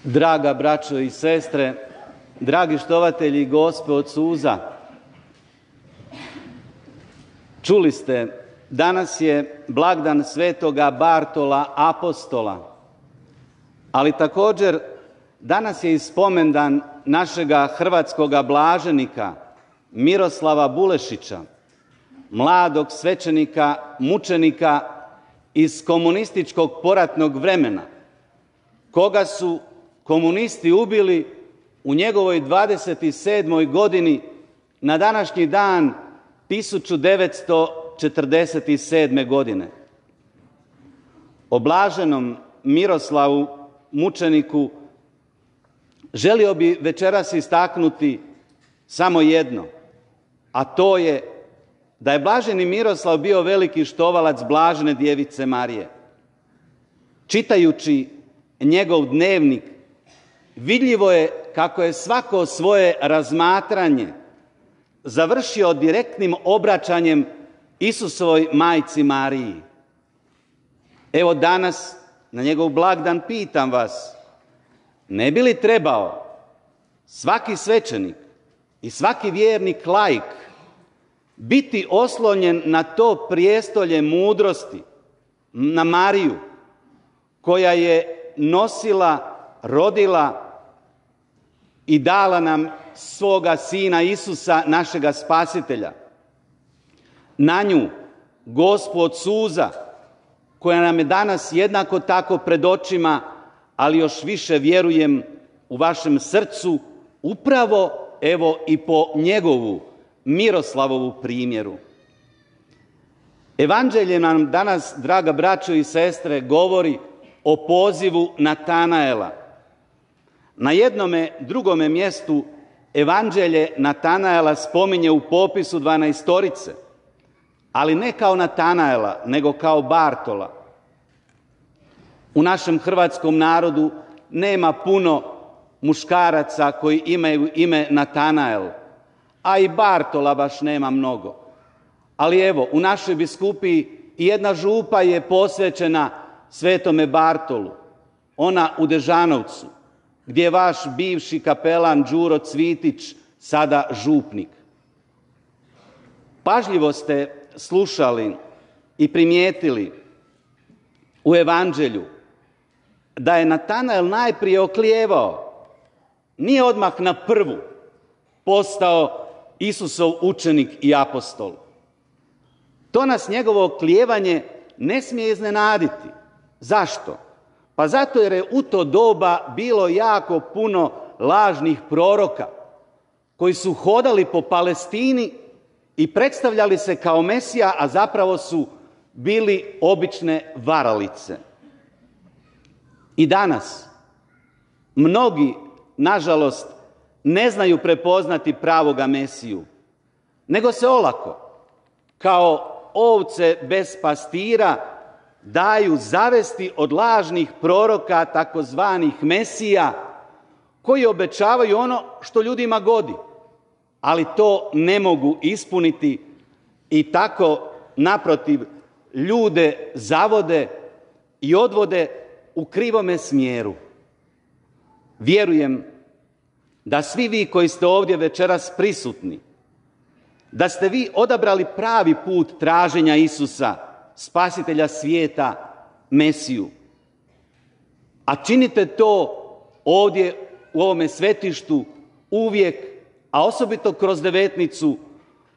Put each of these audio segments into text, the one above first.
Draga braćo i sestre, dragi štovatelji Gospe od suza, čuli ste, danas je blagdan svetoga Bartola apostola, ali također danas je i spomendan našega hrvatskoga blaženika Miroslava Bulešića, mladog svećenika, mučenika iz komunističkog poratnog vremena, koga su komunisti ubili u njegovoj 27. godini na današnji dan 1947. godine. O blaženom Miroslavu mučeniku želio bi večeras istaknuti samo jedno, a to je da je blaženi Miroslav bio veliki štovalac blažene djevice Marije. Čitajući njegov dnevnik, vidljivo je kako je svako svoje razmatranje završio direktnim obraćanjem Isusovoj majci Mariji. Evo danas, na njegov blagdan, pitam vas, ne bi li trebao svaki svećenik i svaki vjernik laik biti oslonjen na to prijestolje mudrosti, na Mariju, koja je nosila, rodila i dala nam svoga Sina Isusa, našega Spasitelja. Na nju, Gospu od suza, koja nam je danas jednako tako pred očima, ali još više vjerujem u vašem srcu, upravo evo i po njegovu Miroslavovu primjeru. Evanđelje nam danas, draga braćo i sestre, govori o pozivu Natanaela. Na jednome drugome mjestu Evanđelje Natanaela spominje u popisu 12-torice, ali ne kao Natanaela, nego kao Bartola. U našem hrvatskom narodu nema puno muškaraca koji imaju ime Natanael, a i Bartola baš nema mnogo. Ali evo, u našoj biskupiji i jedna župa je posvećena svetome Bartolu, ona u Dežanovcu, gdje je vaš bivši kapelan Đuro Cvitić sada župnik. Pažljivo ste slušali i primijetili u Evanđelju da je Natanael najprije oklijevao, nije odmah na prvu postao Isusov učenik i apostol. To nas njegovo oklijevanje ne smije iznenaditi. Zašto? Pa zato jer je u to doba bilo jako puno lažnih proroka koji su hodali po Palestini i predstavljali se kao Mesija, a zapravo su bili obične varalice. I danas mnogi, nažalost, ne znaju prepoznati pravoga Mesiju, nego se olako, kao ovce bez pastira, daju zavesti od lažnih proroka, takozvanih Mesija, koji obećavaju ono što ljudima godi, ali to ne mogu ispuniti i tako, naprotiv, ljude zavode i odvode u krivome smjeru. Vjerujem da svi vi koji ste ovdje večeras prisutni, da ste vi odabrali pravi put traženja Isusa, Spasitelja svijeta, Mesiju. A činite to ovdje u ovome svetištu uvijek, a osobito kroz devetnicu,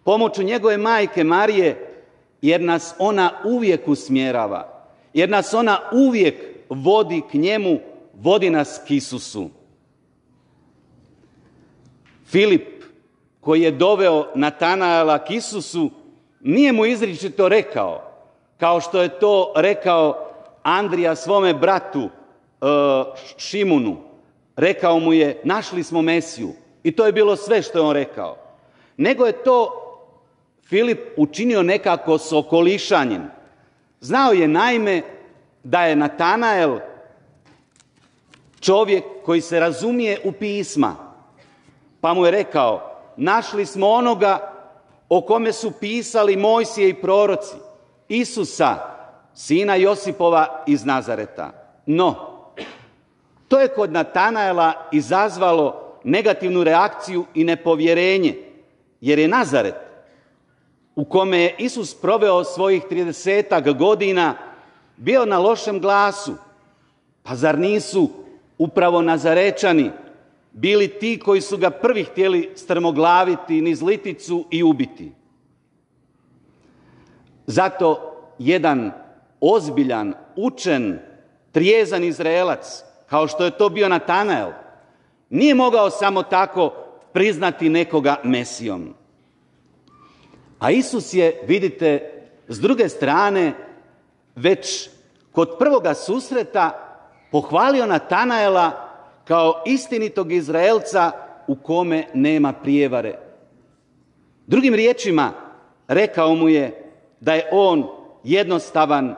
pomoću njegove majke Marije, jer nas ona uvijek usmjerava, jer nas ona uvijek vodi k njemu, vodi nas k Isusu. Filip, koji je doveo Natanaela k Isusu, nije mu izričito rekao, kao što je to rekao Andrija svome bratu Šimunu. Rekao mu je, našli smo Mesiju. I to je bilo sve što je on rekao. Nego je to Filip učinio nekako s okolišanjem. Znao je naime da je Natanael čovjek koji se razumije u pisma. Pa mu je rekao, našli smo onoga o kome su pisali Mojsije i proroci, Isusa, sina Josipova iz Nazareta. No, To je kod Natanaela izazvalo negativnu reakciju i nepovjerenje, jer je Nazaret, u kome je Isus proveo svojih 30 godina, bio na lošem glasu. Pa zar nisu upravo Nazarečani bili ti koji su ga prvi htjeli strmoglaviti niz liticu i ubiti? Zato jedan ozbiljan, učen, trijezan Izraelac, kao što je to bio Natanael, nije mogao samo tako priznati nekoga Mesijom. A Isus je, vidite, s druge strane, već kod prvoga susreta pohvalio Natanaela kao istinitog Izraelca u kome nema prijevare. Drugim riječima, rekao mu je da je on jednostavan,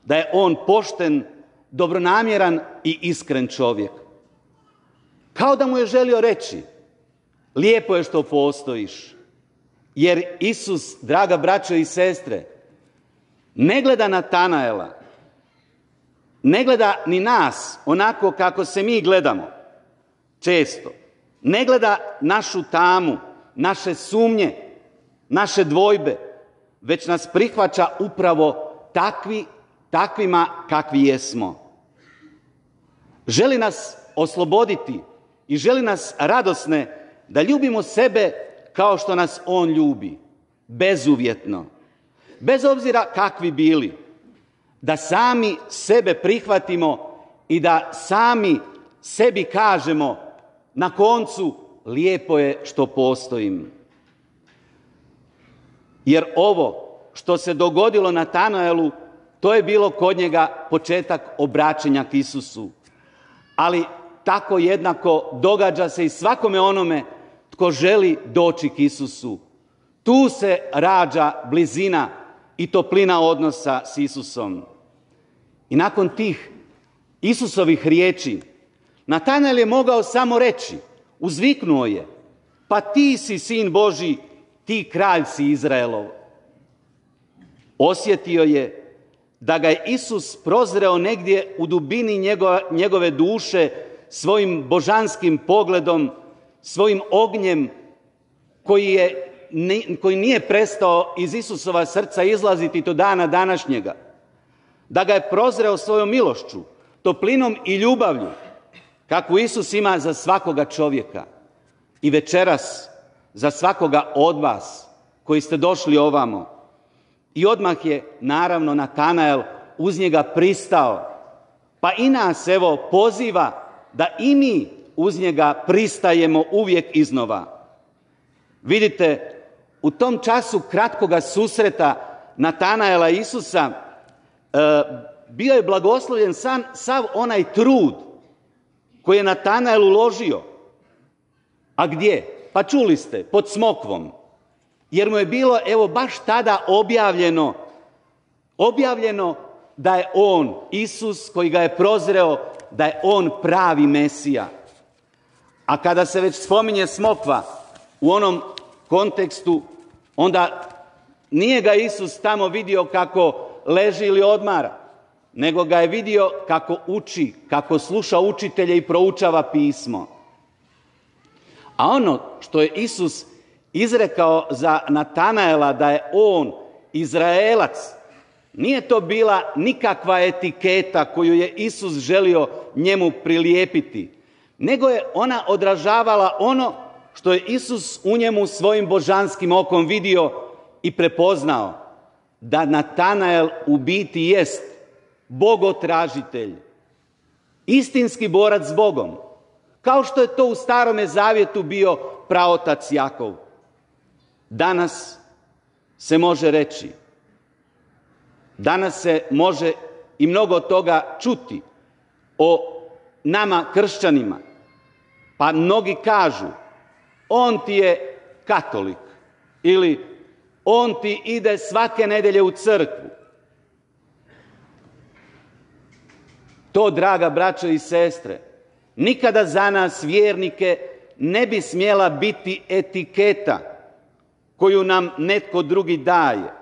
da je on pošten, dobronamjeran i iskren čovjek. Kao da mu je želio reći, lijepo je što postojiš, jer Isus, draga braćo i sestre, ne gleda Natanaela, ne gleda ni nas onako kako se mi gledamo često. Ne gleda našu tamu, naše sumnje, naše dvojbe, već nas prihvaća upravo takvima kakvi jesmo. Želi nas osloboditi i želi nas radosne da ljubimo sebe kao što nas on ljubi, bezuvjetno, bez obzira kakvi bili, da sami sebe prihvatimo i da sami sebi kažemo na koncu lijepo je što postojim. Jer ovo što se dogodilo Natanaelu, to je bilo kod njega početak obraćanja k Isusu. Ali tako jednako događa se i svakome onome tko želi doći k Isusu. Tu se rađa blizina i toplina odnosa s Isusom. I nakon tih Isusovih riječi, Natanael je mogao samo reći, uzviknuo je, pa ti si sin Božji, ti kralj si Izraelov. Osjetio je da ga je Isus prozreo negdje u dubini njegove duše svojim božanskim pogledom, svojim ognjem koji nije prestao iz Isusova srca izlaziti do dana današnjega. Da ga je prozreo svojom milošću, toplinom i ljubavlju, kakvu Isus ima za svakoga čovjeka. I večeras za svakoga od vas koji ste došli ovamo. I odmah je, naravno, Natanael uz njega pristao. Pa i nas, evo, poziva da i mi uz njega pristajemo uvijek iznova. Vidite, u tom času kratkoga susreta Natanaela i Isusa bio je blagoslovljen sav onaj trud koji je Natanael uložio. A gdje? Pa čuli ste, pod smokvom. Jer mu je bilo, evo, baš tada objavljeno da je on, Isus koji ga je prozreo, da je on pravi Mesija. A kada se već spominje smokva u onom kontekstu, onda nije ga Isus tamo vidio kako leži ili odmara, nego ga je vidio kako uči, kako sluša učitelje i proučava pismo. A ono što je Isus izrekao za Natanaela da je on Izraelac, nije to bila nikakva etiketa koju je Isus želio njemu prilijepiti, nego je ona odražavala ono što je Isus u njemu svojim božanskim okom vidio i prepoznao, da Natanael u biti jest bogotražitelj, istinski borac s Bogom, kao što je to u Starome zavjetu bio praotac Jakov. Danas se može reći, danas se može i mnogo toga čuti o nama kršćanima, pa mnogi kažu, on ti je katolik ili on ti ide svake nedjelje u crkvu. To, draga braćo i sestre, nikada za nas vjernike ne bi smjela biti etiketa koju nam netko drugi daje.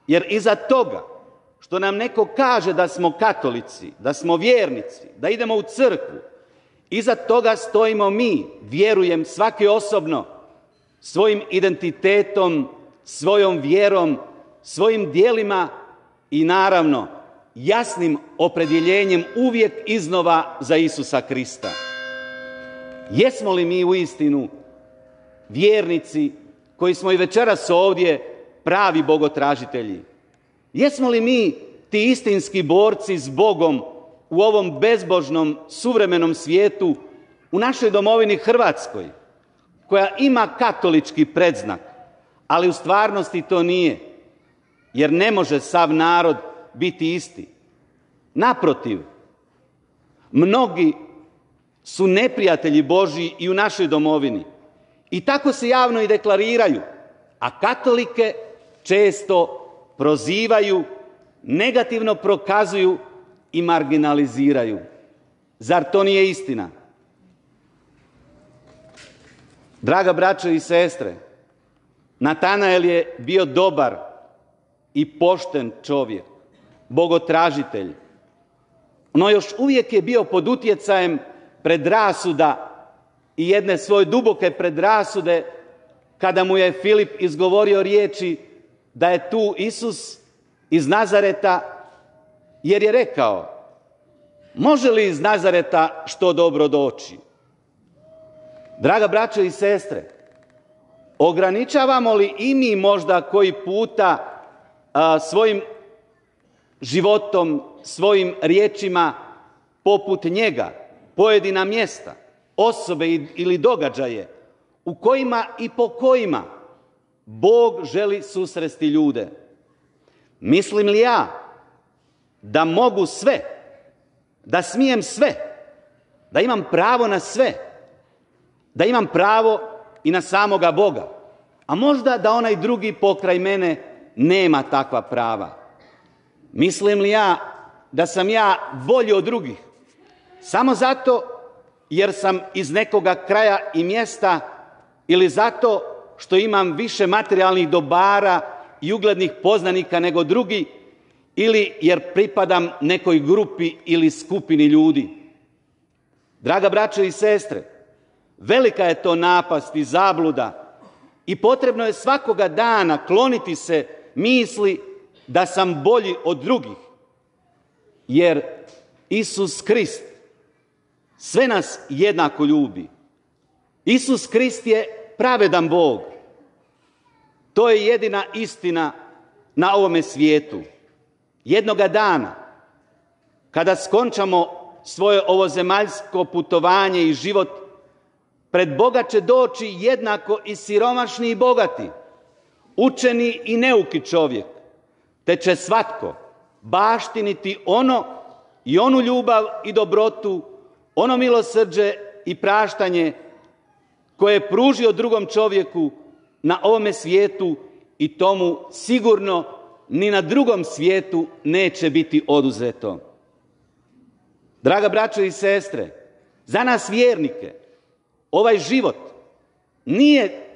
Jer iza toga što nam neko kaže da smo katolici, da smo vjernici, da idemo u crkvu, Iza toga stojimo mi, vjerujem, svaki osobno, svojim identitetom, svojom vjerom, svojim dijelima i naravno jasnim opredjeljenjem uvijek iznova za Isusa Krista. Jesmo li mi uistinu vjernici koji smo i večeras ovdje pravi bogotražitelji? Jesmo li mi ti istinski borci s Bogom u ovom bezbožnom suvremenom svijetu, u našoj domovini Hrvatskoj, koja ima katolički predznak, ali u stvarnosti to nije, jer ne može sav narod biti isti. Naprotiv, mnogi su neprijatelji Božji i u našoj domovini i tako se javno i deklariraju, a katolike često prozivaju, negativno prokazuju i marginaliziraju. Zar to nije istina? Draga braćo i sestre, Natanael je bio dobar i pošten čovjek, bogotražitelj. No još uvijek je bio pod utjecajem predrasuda i jedne svoje duboke predrasude kada mu je Filip izgovorio riječi da je tu Isus iz Nazareta, jer je rekao: može li iz Nazareta što dobro doći? Draga braćo i sestre, ograničavamo li i mi možda koji puta svojim životom, svojim riječima poput njega pojedina mjesta, osobe ili događaje u kojima i po kojima Bog želi susresti ljude? Mislim li ja da mogu sve, da smijem sve, da imam pravo na sve, da imam pravo i na samoga Boga, a možda da onaj drugi pokraj mene nema takva prava? Mislim li ja da sam ja bolji od drugih samo zato jer sam iz nekoga kraja i mjesta, ili zato što imam više materijalnih dobara i uglednih poznanika nego drugi, ili jer pripadam nekoj grupi ili skupini ljudi? Draga braćo i sestre, velika je to napast i zabluda i potrebno je svakoga dana kloniti se misli da sam bolji od drugih, jer Isus Krist sve nas jednako ljubi. Isus Krist je pravedan Bog. To je jedina istina na ovome svijetu. Jednoga dana, kada skončamo svoje ovozemaljsko putovanje i život, pred Boga će doći jednako i siromašni i bogati, učeni i neuki čovjek, te će svatko baštiniti ono i onu ljubav i dobrotu, ono milosrđe i praštanje koje je pružio drugom čovjeku na ovome svijetu, i tomu sigurno ni na drugom svijetu neće biti oduzeto. Draga braćo i sestre, za nas vjernike ovaj život nije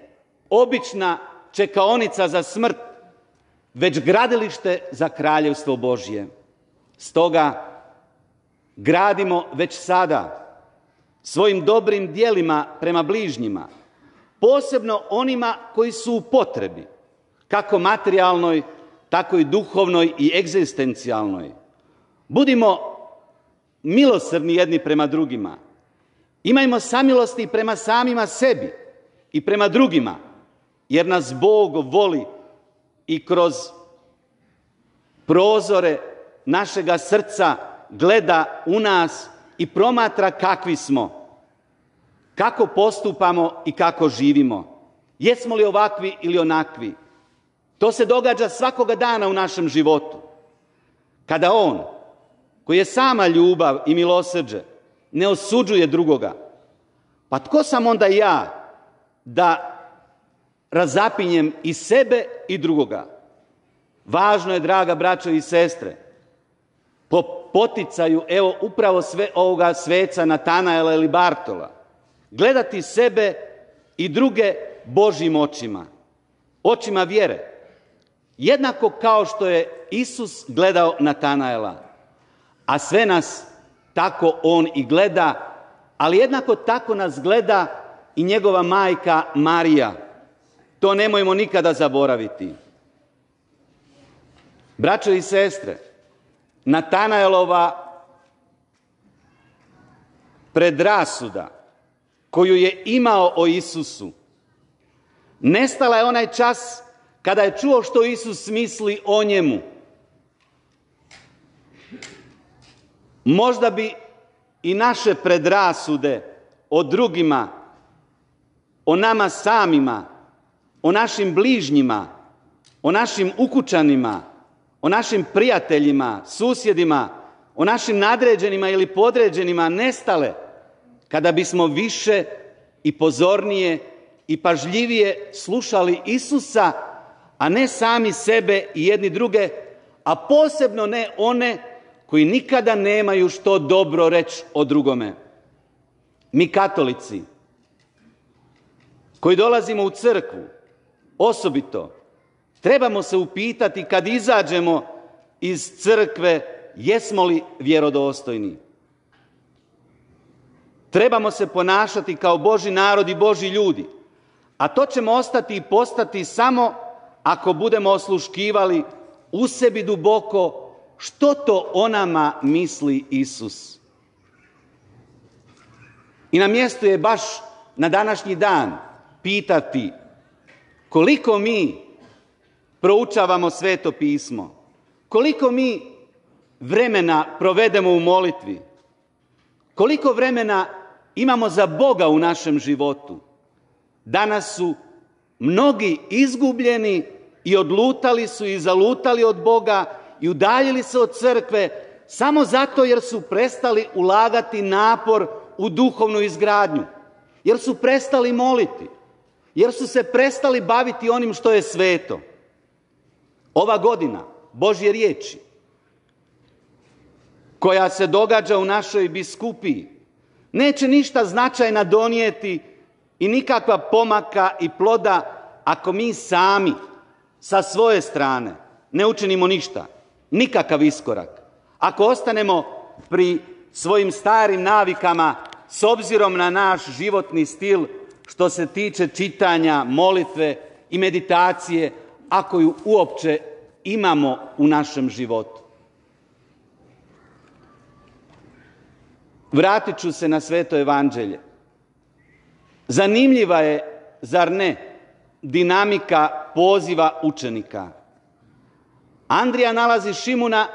obična čekaonica za smrt, već gradilište za kraljevstvo Božje. Stoga gradimo već sada svojim dobrim djelima prema bližnjima, posebno onima koji su u potrebi, kako materijalnoj, tako i duhovnoj i egzistencijalnoj. Budimo milosrdni jedni prema drugima. Imajmo samilosti prema samima sebi i prema drugima, jer nas Bog voli i kroz prozore našega srca gleda u nas i promatra kakvi smo, kako postupamo i kako živimo. Jesmo li ovakvi ili onakvi? To se događa svakoga dana u našem životu. Kada On, koji je sama ljubav i milosrđe, ne osuđuje drugoga, pa tko sam onda ja da razapinjem i sebe i drugoga? Važno je, draga braćo i sestre, po poticaju, evo upravo sve ovoga sveca Natanaela ili Bartola, gledati sebe i druge Božjim očima, očima vjere, jednako kao što je Isus gledao Natanaela, a sve nas tako On i gleda ali jednako tako nas gleda i njegova majka Marija. To nemojmo nikada zaboraviti. Braćo i sestre, Natanaelova predrasuda koju je imao o Isusu nestala je onaj čas kada je čuo što Isus misli o njemu. Možda bi i naše predrasude o drugima, o nama samima, o našim bližnjima, o našim ukućanima, o našim prijateljima, susjedima, o našim nadređenima ili podređenima nestale kada bismo više i pozornije i pažljivije slušali Isusa, a ne sami sebe i jedni druge, a posebno ne one koji nikada nemaju što dobro reći o drugome. Mi katolici, koji dolazimo u crkvu, osobito, trebamo se upitati kad izađemo iz crkve, jesmo li vjerodostojni. Trebamo se ponašati kao Božji narod i Božji ljudi, a to ćemo ostati i postati samo ako budemo osluškivali u sebi duboko što to o nama misli Isus. I na mjestu je baš na današnji dan pitati koliko mi proučavamo Sveto pismo, koliko mi vremena provedemo u molitvi, koliko vremena imamo za Boga u našem životu. Danas su mnogi izgubljeni i odlutali su i zalutali od Boga i udaljili se od crkve samo zato jer su prestali ulagati napor u duhovnu izgradnju, jer su prestali moliti, jer su se prestali baviti onim što je sveto. Ova godina Božje riječi koja se događa u našoj biskupiji neće ništa značajna donijeti i nikakva pomaka i ploda ako mi sami sa svoje strane ne učinimo ništa, nikakav iskorak. Ako ostanemo pri svojim starim navikama s obzirom na naš životni stil što se tiče čitanja, molitve i meditacije, ako ju uopće imamo u našem životu. Vratit ću se na Sveto evanđelje. Zanimljiva je, zar ne, dinamika poziva učenika. Andrija nalazi Šimuna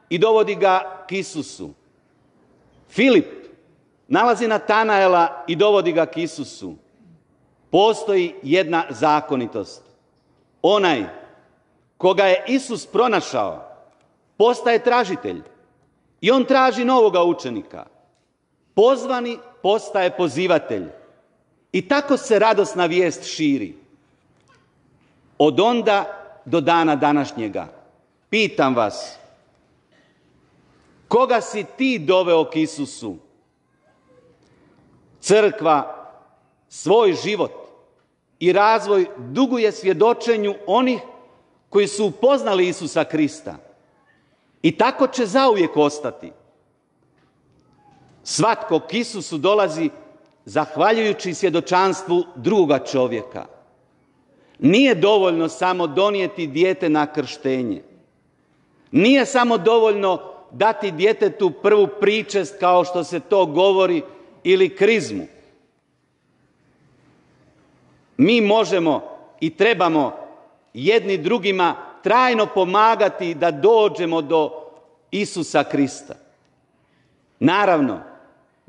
i dovodi ga k Isusu. Filip nalazi Natanaela i dovodi ga k Isusu. Postoji jedna zakonitost. Onaj koga je Isus pronašao postaje tražitelj i on traži novoga učenika. Pozvani postaje pozivatelj. I tako se radosna vijest širi. Od onda do dana današnjega. Pitam vas, koga si ti doveo k Isusu? Crkva svoj život i razvoj duguje svjedočenju onih koji su upoznali Isusa Krista. I tako će zauvijek ostati. Svatko k Isusu dolazi zahvaljujući svjedočanstvu druga čovjeka. Nije dovoljno samo donijeti dijete na krštenje. Nije samo dovoljno dati djetetu prvu pričest, kao što se to govori, ili krizmu. Mi možemo i trebamo jedni drugima trajno pomagati da dođemo do Isusa Krista. Naravno,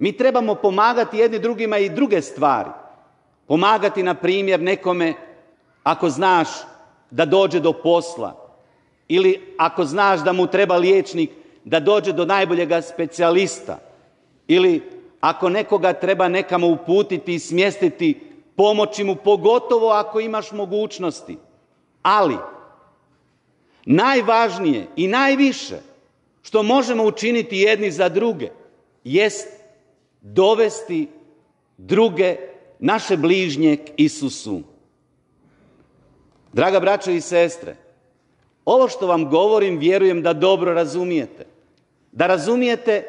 mi trebamo pomagati jedni drugima i druge stvari. Pomagati, na primjer, nekome ako znaš da dođe do posla ili ako znaš da mu treba liječnik da dođe do najboljega specijalista ili ako nekoga treba nekamo uputiti i smjestiti, pomoći mu, pogotovo ako imaš mogućnosti. Ali najvažnije i najviše što možemo učiniti jedni za druge jest dovesti druge, naše bližnje, k Isusu. Draga braćo i sestre, ovo što vam govorim vjerujem da dobro razumijete. Da razumijete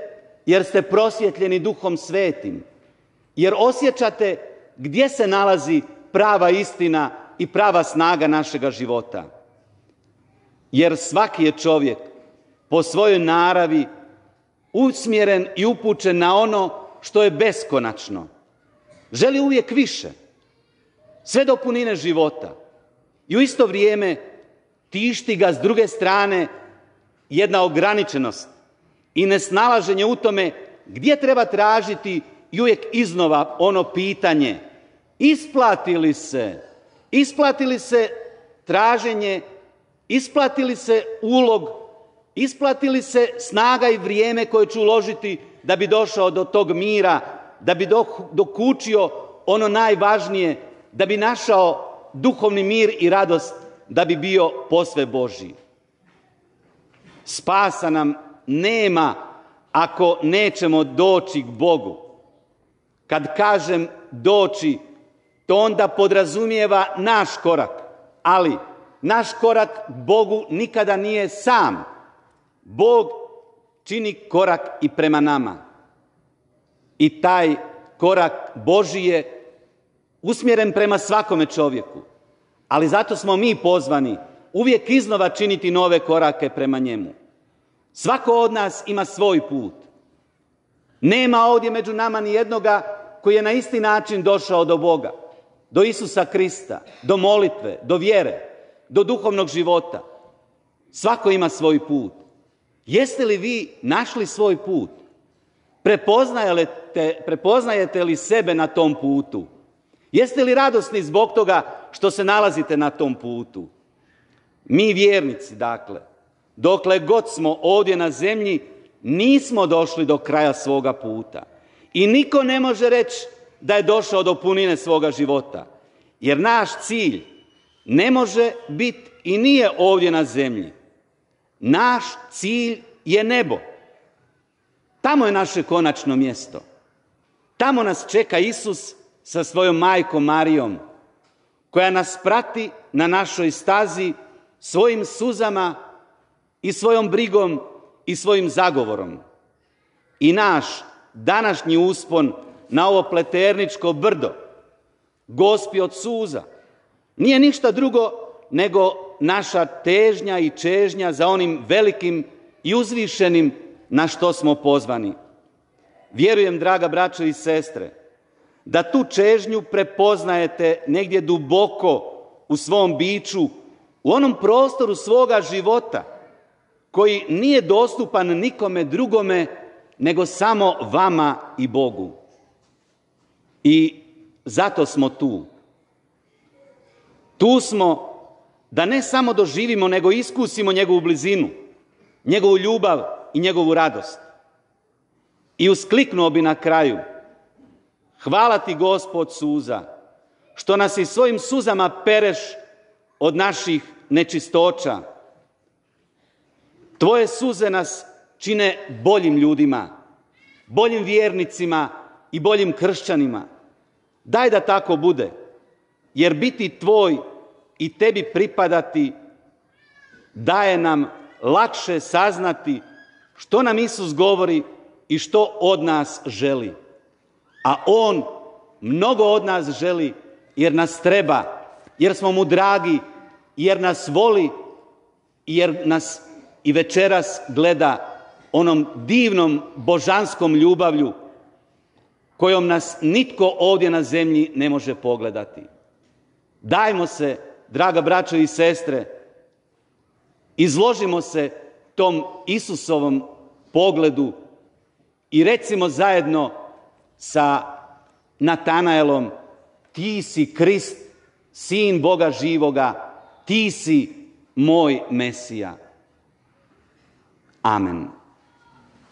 jer ste prosvjetljeni Duhom Svetim jer osjećate gdje se nalazi prava istina i prava snaga našega života. Jer svaki je čovjek po svojoj naravi usmjeren i upućen na ono što je beskonačno. Želi uvijek više, sve do punine života. I u isto vrijeme tišti ga s druge strane jedna ograničenost i nesnalaženje u tome gdje treba tražiti i uvijek iznova ono pitanje: isplati li se traženje, isplati li se ulog, isplati li se snaga i vrijeme koje ću uložiti da bi došao do tog mira, da bi dokučio ono najvažnije, da bi našao duhovni mir i radost, da bi bio posve Božji. Spasa nam nema ako nećemo doći k Bogu. Kad kažem doći, to onda podrazumijeva naš korak, ali naš korak Bogu nikada nije sam. Bog čini korak i prema nama. I taj korak Božji je usmjeren prema svakome čovjeku. Ali zato smo mi pozvani uvijek iznova činiti nove korake prema njemu. Svako od nas ima svoj put. Nema ovdje među nama ni jednoga koji je na isti način došao do Boga, do Isusa Krista, do molitve, do vjere, do duhovnog života. Svako ima svoj put. Jeste li vi našli svoj put? Prepoznajete li sebe na tom putu? Jeste li radosni zbog toga što se nalazite na tom putu? Mi vjernici, dakle, dokle god smo ovdje na zemlji, nismo došli do kraja svoga puta. I niko ne može reći da je došao do punine svoga života. Jer naš cilj ne može biti i nije ovdje na zemlji. Naš cilj je nebo. Tamo je naše konačno mjesto. Tamo nas čeka Isus sa svojom majkom Marijom, koja nas prati na našoj stazi svojim suzama i svojom brigom i svojim zagovorom. I naš današnji uspon na ovo Pleterničko brdo, Gospi od suza, nije ništa drugo nego naša težnja i čežnja za onim velikim i uzvišenim na što smo pozvani. Vjerujem, draga braćo i sestre, da tu čežnju prepoznajete negdje duboko u svom biću, u onom prostoru svoga života koji nije dostupan nikome drugome nego samo vama i Bogu. I zato smo tu. Tu smo da ne samo doživimo, nego iskusimo njegovu blizinu, njegovu ljubav i njegovu radost. I uskliknuo bi na kraju: hvala ti, Gospod suza, što nas i svojim suzama pereš od naših nečistoća. Tvoje suze nas čine boljim ljudima, boljim vjernicima i boljim kršćanima. Daj da tako bude, jer biti tvoj i tebi pripadati daje nam lakše saznati što nam Isus govori i što od nas želi. A On mnogo od nas želi, jer nas treba, jer smo mu dragi, jer nas voli i jer nas i večeras gleda onom divnom božanskom ljubavlju kojom nas nitko ovdje na zemlji ne može pogledati. Dajmo se, draga braćo i sestre, izložimo se tom Isusovom pogledu i recimo zajedno sa Natanaelom: ti si Krist, Sin Boga živoga, ti si moj Mesija. Amen.